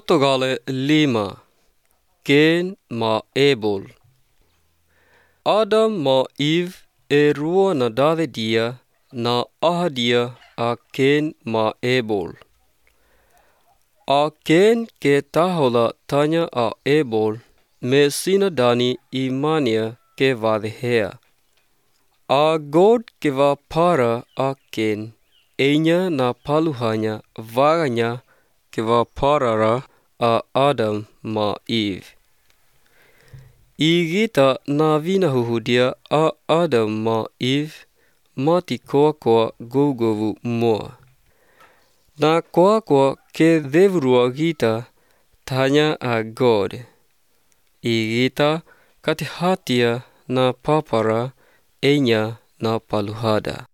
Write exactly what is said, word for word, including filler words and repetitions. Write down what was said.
Portugale lima. Cain ma Abel. Adam ma Eve e rua na dade dia na aha dia a Cain ma Abel. A Cain ke tahola tanya a Abel me sina dani imania ke vadhea. A God ke va para a Cain einya na paluhanya vaganya ke va parara a Adam ma Eve. I gita na vina huhudia a Adam ma Eve mati koa koa gougovu moa. Na koa koa ke devurua gita tanya a God. I gita kate hatia na papara einya na paluhada.